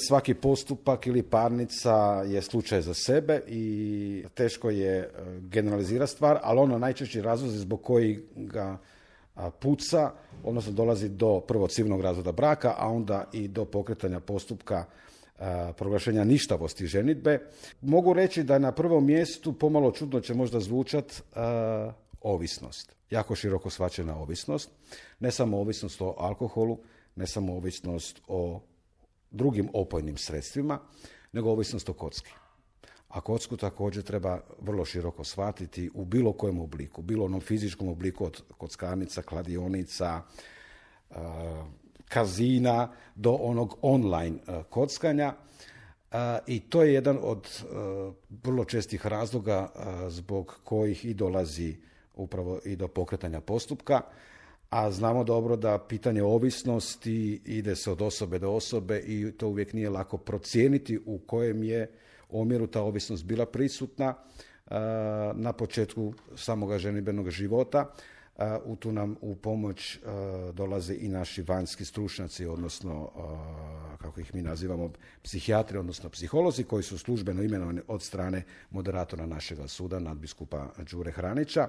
svaki postupak ili parnica je slučaj za sebe i teško je generalizirati stvar, ali ono najčešći razlozi zbog kojih ga puca, odnosno dolazi do prvo civilnog razvoda braka, a onda i do pokretanja postupka proglašenja ništavosti ženidbe. Mogu reći da na prvom mjestu, pomalo čudno će možda zvučat, ovisnost. Jako široko shvaćena ovisnost. Ne samo ovisnost o alkoholu, ne samo ovisnost o drugim opojnim sredstvima, nego ovisnost o kocki. A kocku također treba vrlo široko shvatiti u bilo kojem obliku, bilo onom fizičkom obliku od kockarnica, kladionica, kazina do onog online kockanja. I to je jedan od vrlo čestih razloga zbog kojih i dolazi upravo i do pokretanja postupka. A znamo dobro da pitanje ovisnosti ide se od osobe do osobe i to uvijek nije lako procijeniti u kojem je omjeru ta ovisnost bila prisutna na početku samoga ženidbenog života. Tu nam u pomoć dolaze i naši vanjski stručnjaci, odnosno, kako ih mi nazivamo, psihijatri, odnosno psiholozi, koji su službeno imenovani od strane moderatora našega suda, nadbiskupa Đure Hranića.